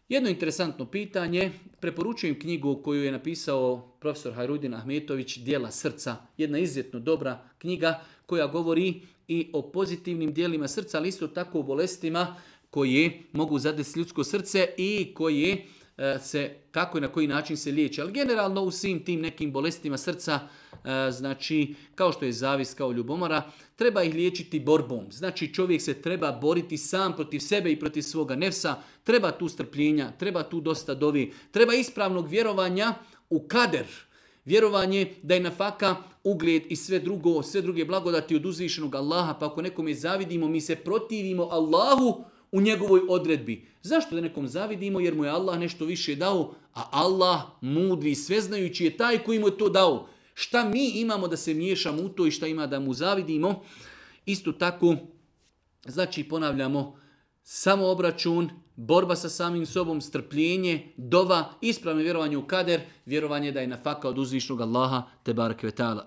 Jedno interesantno pitanje, preporučujem knjigu koju je napisao profesor Hajrudin Ahmetović, Djela srca, jedna izuzetno dobra knjiga koja govori i o pozitivnim dijelima srca, ali isto tako o bolestima koje mogu zadesiti ljudsko srce i koje se kako i na koji način se liječi. Ali generalno u svim tim nekim bolestima srca, znači kao što je zavis, kao ljubomora, treba ih liječiti borbom. Znači čovjek se treba boriti sam protiv sebe i protiv svoga nefsa, treba tu strpljenja, treba tu dosta dovi, treba ispravnog vjerovanja u kader. Vjerovanje da je nafaka, ugled i sve druge blagodati od uzvišenog Allaha, pa ako nekome zavidimo, mi se protivimo Allahu u njegovoj odredbi. Zašto da nekom zavidimo? Jer mu je Allah nešto više dao, a Allah, mudri i sveznajući, je taj koji mu je to dao. Šta mi imamo da se miješamo u to i šta ima da mu zavidimo? Isto tako, znači ponavljamo, samo obračun, borba sa samim sobom, strpljenje, dova, ispravno vjerovanje u kader, vjerovanje da je nafaka od uzvišnog Allaha, te barek ve ta'ala.